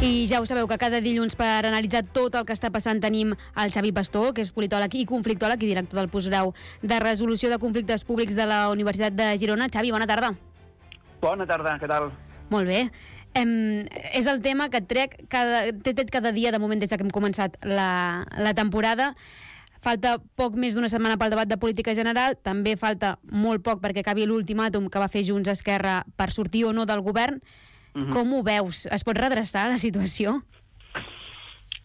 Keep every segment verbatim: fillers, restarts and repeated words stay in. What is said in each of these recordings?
I ja ho sabeu que cada dilluns per analitzar tot el que està passant tenim el Xavi Pastor, que és politòleg i conflictòleg i director del postgrau de resolució de conflictes públics de la Universitat de Girona. Xavi, bona tarda. Bona tarda, què tal? Molt bé. Em, és el tema que et trec cada, t'he tret cada dia de moment des que hem començat la, la temporada. Falta poc més d'una setmana pel debat de política general, també falta molt poc perquè acabi l'ultimàtum que va fer Junts Esquerra per sortir o no del govern. Uh-huh. Com ho veus? Es pot redreçar la situació?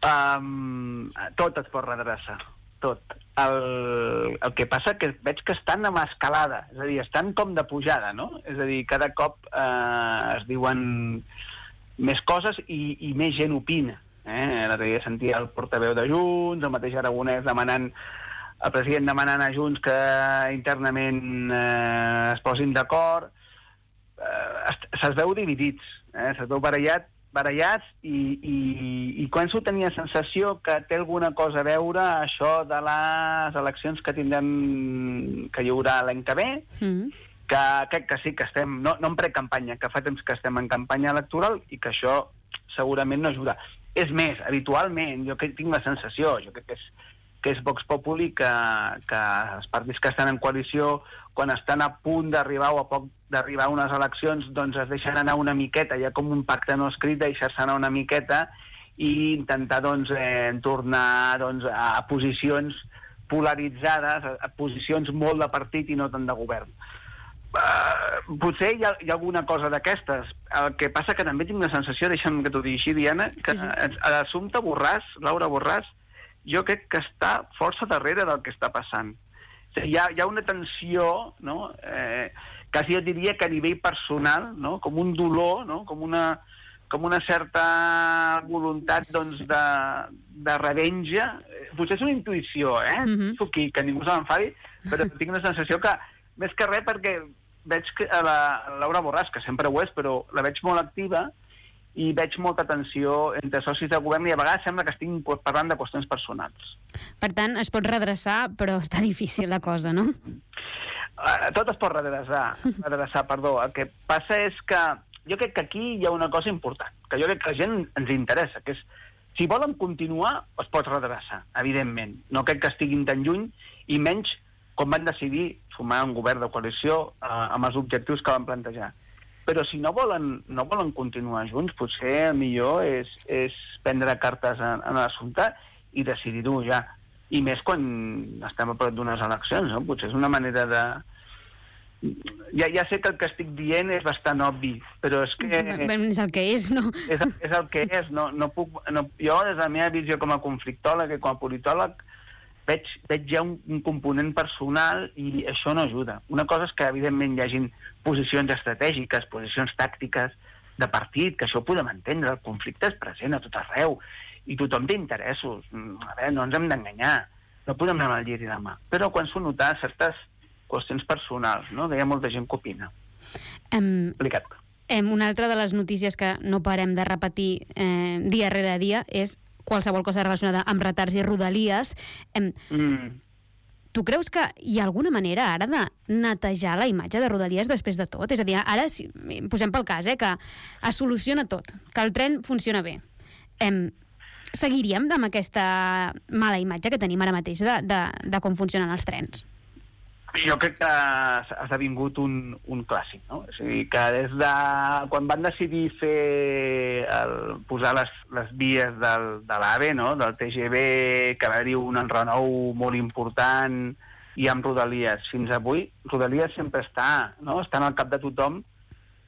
Um, tot es pot redreçar, tot. El, el que passa que veig que estan amb escalada, és a dir, estan com de pujada, no? És a dir, cada cop eh, es diuen més coses i, i més gent opina. Eh? L'altre dia sentia el portaveu de Junts, el mateix Aragonès demanant, el president demanant a Junts que internament eh, es posin d'acord. Eh, se'ls veu dividits, eh? Se'ls veu barallat, barallats i, i, i començo a tenir la sensació que té alguna cosa a veure això de les eleccions que tindrem, que hi haurà l'any que ve, mm. que crec que sí que estem, no, no en precampanya, que fa temps que estem en campanya electoral i que això segurament no ajuda. És més, habitualment, jo que tinc la sensació, jo crec que és, que és Vox Populi, que, que els partits que estan en coalició, quan estan a punt d'arribar o a poc d'arribar a unes eleccions, doncs es deixen anar una miqueta, hi ha com un pacte no escrit, deixar-se anar una miqueta i intentar doncs, eh, tornar doncs, a posicions polaritzades, a, a posicions molt de partit i no tant de govern. Uh, potser hi ha, hi ha alguna cosa d'aquestes. El que passa que també tinc la sensació, deixa'm que t'ho digui així, Diana, que sí, sí. l'assumpte Borràs, Laura Borràs, jo crec que està força darrere del que està passant. O sigui, hi ha, hi ha una tensió, no?, eh, quasi jo diria que a nivell personal, no?, com un dolor, no?, com una, com una certa voluntat doncs, de, de revenja. Potser és una intuïció, eh? Mm-hmm. Aquí, que ningú se m'enfadi, però tinc la sensació que, més que res, perquè veig que a la, a Laura Borràs, que sempre ho és, però la veig molt activa, i veig molta tensió entre socis de govern i a vegades sembla que estiguin parlant de qüestions personals. Per tant, es pot redreçar, però està difícil la cosa, no? Uh, tot es pot redreçar, redreçar, perdó. El que passa és que jo crec que aquí hi ha una cosa important, que jo crec que la gent ens interessa, que és, si volen continuar, es pot redreçar, evidentment. No crec que estiguin tan lluny, i menys com van decidir formar un govern de coalició uh, amb els objectius que van plantejar. Però si no volen, no volen continuar junts, potser el millor és, és prendre cartes en, en l'assumpte i decidir-ho ja. I més quan estem a prop d'unes eleccions, no? Potser és una manera de... Ja, ja sé que el que estic dient és bastant obvi, però és que... És el que és, no? És, és el que és. No, no puc, no, jo, des de la meva visió com a conflictòleg i com a politòleg, veig, veig ja un, un component personal i això no ajuda. Una cosa és que, evidentment, hi hagin posicions estratègiques, posicions tàctiques de partit, que això ho podem entendre, el conflicte és present a tot arreu, i tothom té interessos. A veure, no ens hem d'enganyar, no podem anar al llit i demà. Però quan s'ho nota certes qüestions personals, no?, que hi ha molta gent que opina. Um, Explicat. Um, una altra de les notícies que no parem de repetir eh, dia rere dia és qualsevol cosa relacionada amb retards i rodalies. Um, mm. Tu creus que hi ha alguna manera ara de netejar la imatge de Rodalies després de tot? És a dir, ara, si posem pel cas, eh, que es soluciona tot, que el tren funciona bé. Um, seguiríem amb aquesta mala imatge que tenim ara mateix de, de, de com funcionen els trens? Jo crec que ha esdevingut un, un clàssic, no? És a dir, que des de quan van decidir fer el, posar les, les vies del, de l'AVE, no?, del T G V, que va haver-hi un enrenou molt important, i amb Rodalies fins avui, Rodalies sempre està, no?, està al cap de tothom,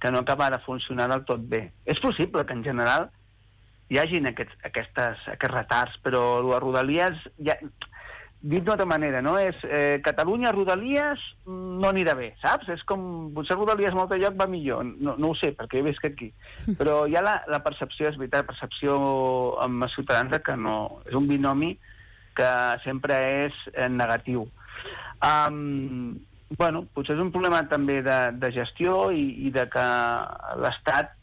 que no acaba de funcionar del tot bé. És possible que en general hi hagin aquests, aquestes, aquests retards, però les Rodalies... Ja, dit d'una altra manera, no? És eh, Catalunya, Rodalies, no anirà bé, saps? És com, potser Rodalies en altre lloc va millor, no, no ho sé, perquè he vist que aquí. Però hi ha la, la percepció, és veritat, la percepció amb els ciutadans que no... És un binomi que sempre és eh, negatiu. Um, bueno, potser és un problema també de, de gestió i, i de que l'Estat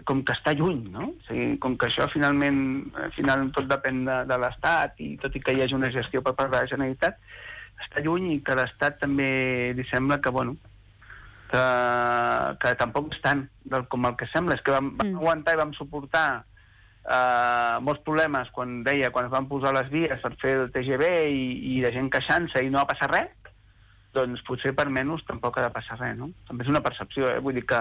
com que està lluny, no? O sigui, com que això finalment, finalment tot depèn de, de l'Estat, i tot i que hi hagi una gestió per part de la Generalitat, està lluny, i que l'Estat també li sembla que, bueno, que, que tampoc és tant del, com el que sembla. És que vam, vam aguantar i vam suportar Uh, molts problemes quan deia, quan es van posar les vies per fer el T G V i, i de gent queixant-se i no va passar res, doncs potser per menys tampoc ha de passar res, no? També és una percepció, eh? Vull dir que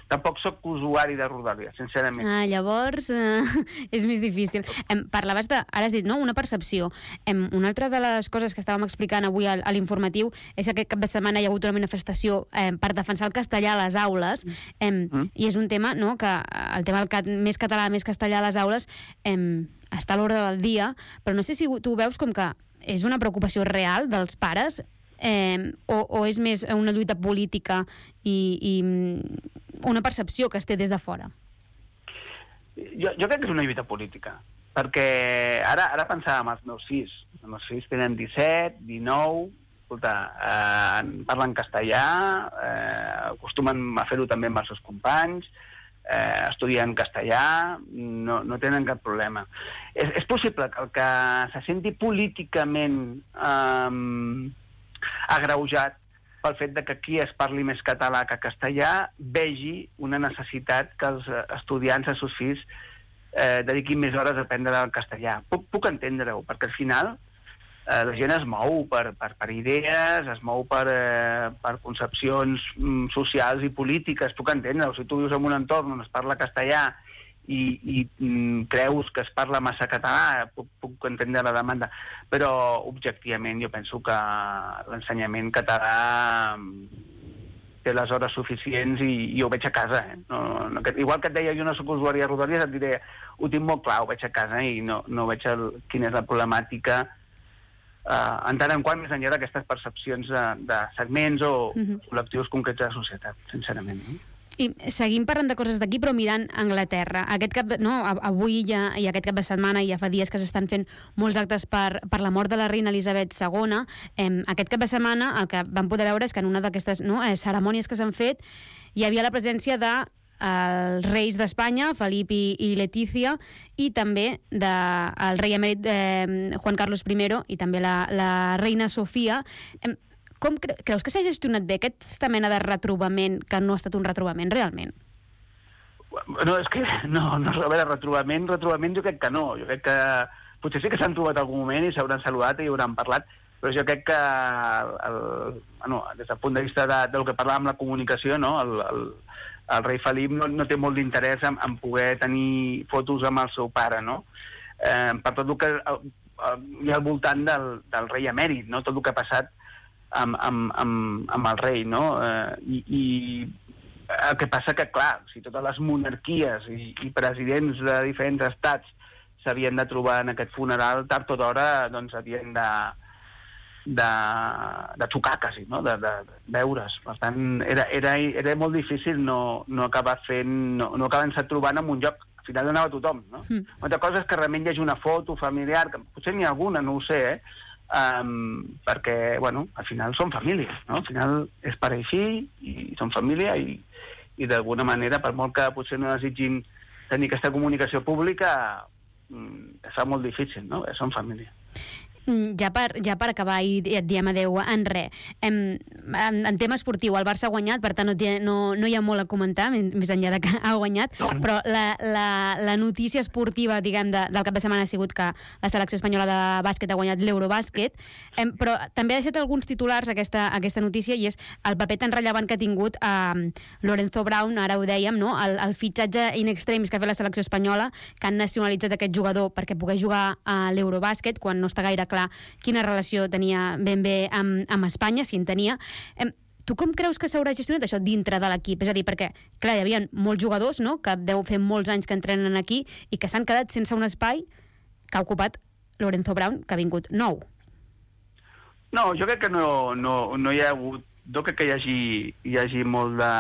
tampoc sóc usuari de Rodalies, sincerament. Ah, llavors eh, és més difícil. Em, parlaves de, ara has dit, no?, una percepció. Em, una altra de les coses que estàvem explicant avui a, a l'informatiu és que aquest cap de setmana hi ha hagut una manifestació eh, per defensar el castellà a les aules, em, mm. i és un tema, no?, que el tema del cat, més català, més castellà a les aules em, està a l'ordre del dia, però no sé si tu veus com que és una preocupació real dels pares, eh, o, o és més una lluita política i, i una percepció que es té des de fora? Jo, jo crec que és una lluita política, perquè ara, ara pensàvem els meus fills. Els meus fills tenen disset, dinou, escolta, eh, parlen castellà, eh, acostumen a fer-ho també amb els seus companys, eh, estudien castellà, no, no tenen cap problema. És, és possible que el que se senti políticament eh, agreujat pel fet de que aquí es parli més català que castellà, vegi una necessitat que els estudiants, els seus fills, eh, dediquin més hores a aprendre el castellà. Puc, puc entendre-ho, perquè al final eh, la gent es mou per, per, per idees, es mou per, eh, per concepcions mm, socials i polítiques, puc entendre-ho. Si tu vius en un entorn on es parla castellà i, i mm, creus que es parla massa català, puc, puc entendre la demanda, però objectivament jo penso que l'ensenyament català té les hores suficients i, i ho veig a casa. Eh? No, no, que, igual que et deia, jo no soc usuari de Rodalies, et diré, ho tinc molt clar, ho veig a casa i no, no veig el, quina és la problemàtica, eh, en tant en quant més enllà d'aquestes percepcions de, de segments o mm-hmm. col·lectius concrets de la societat, sincerament. No? I seguim parlant de coses d'aquí, però mirant Anglaterra. Aquest cap, no, avui ja, i aquest cap de setmana ja fa dies que s'estan fent molts actes per, per la mort de la reina Elisabet segona. Eh, aquest cap de setmana el que vam poder veure és que en una d'aquestes no, eh, cerimònies que s'han fet hi havia la presència de els reis d'Espanya, Felip i, i Letícia, i també del de, rei emèrit eh, Juan Carlos primero i també la, la reina Sofia. Eh, Com cre creus que s'ha gestionat bé aquesta mena de retrobament que no ha estat un retrobament realment? No, és que no, no, a veure, retrobament, retrobament jo crec que no. Jo crec que potser sí que s'han trobat algun moment i s'hauran saludat i hauran parlat, però jo crec que el, el, bueno, des del punt de vista de, del que parlàvem la comunicació, no? el, el, el rei Felip no, no té molt d'interès en, en poder tenir fotos amb el seu pare, no? Eh, per tot el que el, el, hi ha al voltant del, del rei emèrit, no? Tot el que ha passat Amb, amb, amb, amb el rei, no? Eh, i, I el que passa que, clar, si totes les monarquies i, i presidents de diferents estats s'havien de trobar en aquest funeral, tard o d'hora, doncs havien de, de, de tocar, quasi, no? De, de, de veure's. Per tant, era, era, era molt difícil no, no acabar fent, no, no acabar-se trobant en un lloc. Al final anava tothom, no? Mm. Una altra cosa és que realment hi hagi una foto familiar, que potser n'hi ha alguna, no ho sé, eh? Um, perquè, bueno, al final són famílies, no? Al final és pare i fill i són família i, i d'alguna manera, per molt que potser no desitgin tenir aquesta comunicació pública, um, es fa molt difícil, no? Són família. Ja per, ja per acabar i et diem adeu en res, en, en, en tema esportiu el Barça ha guanyat, per tant no, no, no hi ha molt a comentar, més enllà de que ha guanyat, però la, la, la notícia esportiva, diguem, de, del cap de setmana ha sigut que la selecció espanyola de bàsquet ha guanyat l'Eurobàsquet, eh, però també ha deixat alguns titulars aquesta, aquesta notícia, i és el paper tan rellevant que ha tingut eh, Lorenzo Brown, ara ho dèiem, no? el, el fitxatge in extremis que ha fet la selecció espanyola, que han nacionalitzat aquest jugador perquè pogués jugar a l'Eurobàsquet, quan no està gaire clar quina relació tenia ben bé amb, amb Espanya, si en tenia. Eh, tu com creus que s'haurà gestionat això dintre de l'equip? És a dir, perquè, clar, hi havia molts jugadors, no?, que deu fer molts anys que entrenen aquí i que s'han quedat sense un espai que ha ocupat Lorenzo Brown, que ha vingut nou. No, jo crec que no, no, no hi ha hagut... Jo crec que hi hagi, hi hagi molt de,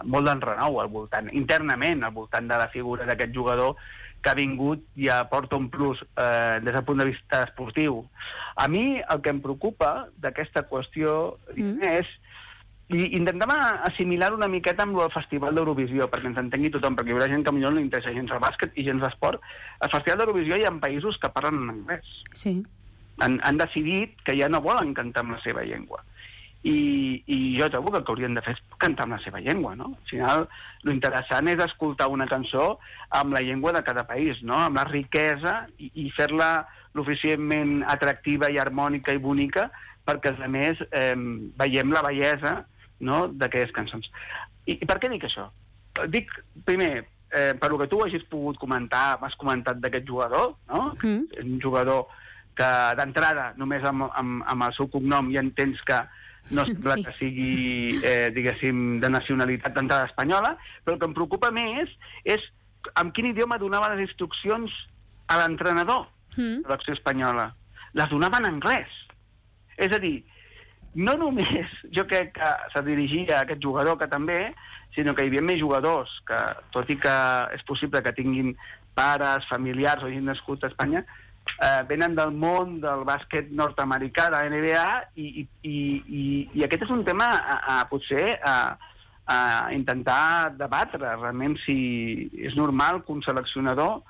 molt d'enrenou al voltant, internament, al voltant de la figura d'aquest jugador que ha vingut i aporta un plus eh, des del punt de vista esportiu. A mi el que em preocupa d'aquesta qüestió mm. és, i intentem assimilar una miqueta amb el Festival d'Eurovisió, perquè ens entengui tothom, perquè hi haurà gent que potser no li interessa gens el bàsquet i gens l'esport. Al Festival d'Eurovisió hi ha països que parlen en anglès. Sí. Han, han decidit que ja no volen cantar en la seva llengua. i, i jo trobo que el que haurien de fer és cantar amb la seva llengua, no? Al final, l'interessant és escoltar una cançó amb la llengua de cada país, no? Amb la riquesa i, i fer-la suficientment atractiva i harmònica i bonica perquè, a més, eh, veiem la bellesa, no?, d'aquelles cançons. I, I per què dic això? Dic, primer, eh, per lo que tu hagis pogut comentar, m'has comentat d'aquest jugador, no? Mm. Un jugador que, d'entrada, només amb, amb, amb el seu cognom ja entens que no sembla sí. que sigui, eh, diguéssim, de nacionalitat d'entrada espanyola, però el que em preocupa més és amb quin idioma donava les instruccions a l'entrenador mm. de l'acció espanyola. Les donava en anglès. És a dir, no només jo crec que se dirigia a aquest jugador, que també, sinó que hi havia més jugadors que, tot i que és possible que tinguin pares, familiars o hagin nascut a Espanya, eh, venen del món del bàsquet nord-americà, de la N B A, i, i, i, i aquest és un tema a, a potser a, a intentar debatre realment si és normal que un seleccionador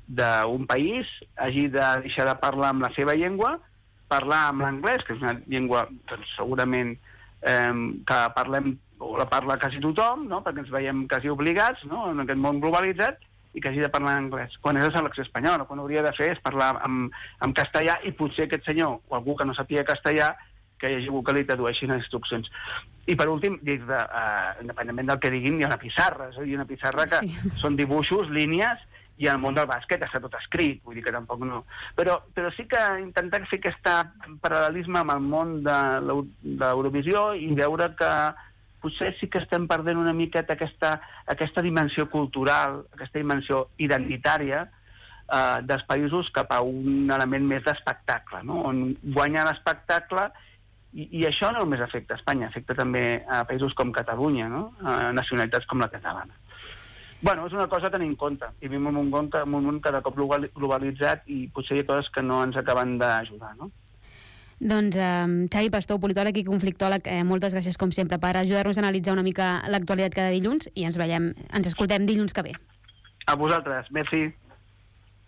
d'un país hagi de deixar de parlar amb la seva llengua, parlar amb l'anglès, que és una llengua doncs, segurament eh, que parlem o la parla quasi tothom, no?, perquè ens veiem quasi obligats, no?, en aquest món globalitzat, i que hagi de parlar en anglès, quan és la selecció espanyola. Quan hauria de fer és parlar en, en castellà, i potser aquest senyor, o algú que no sàpiga castellà, que hi hagi algú que li tradueixi les instruccions. I per últim, de, uh, independentment del que diguin, hi ha una pissarra, és a dir, una pissarra que sí. són dibuixos, línies, i en el món del bàsquet està tot escrit, vull dir que tampoc no. Però, però sí que intentar fer aquest paral·lelisme amb el món de l'Eurovisió i veure que potser sí que estem perdent una miqueta aquesta, aquesta dimensió cultural, aquesta dimensió identitària eh, dels països cap a un element més d'espectacle, no?, on guanya l'espectacle, i, i això no només afecta a Espanya, afecta també a països com Catalunya, no?, a nacionalitats com la catalana. Bueno, és una cosa a tenir en compte, i vivim en un món, en un món cada cop globalitzat i potser hi ha coses que no ens acaben d'ajudar, no? Doncs eh, Xavi Pastor, politòleg i conflictòleg, eh, moltes gràcies com sempre per ajudar-nos a analitzar una mica l'actualitat cada dilluns, i ens veiem, ens escoltem dilluns que ve. A vosaltres, merci.